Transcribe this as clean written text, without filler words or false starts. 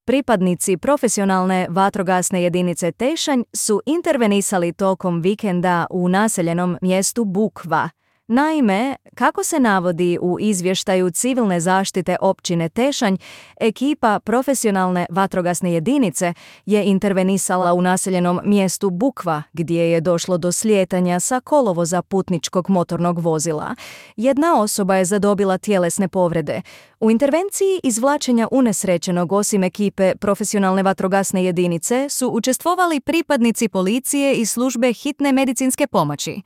Pripadnici profesionalne vatrogasne jedinice Tešanj su intervenisali tokom vikenda u naseljenom mjestu Bukva. Naime, kako se navodi u izvještaju civilne zaštite općine Tešanj, ekipa profesionalne vatrogasne jedinice je intervenisala u naseljenom mjestu Bukva, gdje je došlo do slijetanja sa kolovoza putničkog motornog vozila. Jedna osoba je zadobila tjelesne povrede. U intervenciji izvlačenja unesrećenog osim ekipe profesionalne vatrogasne jedinice su učestvovali pripadnici policije i službe hitne medicinske pomoći.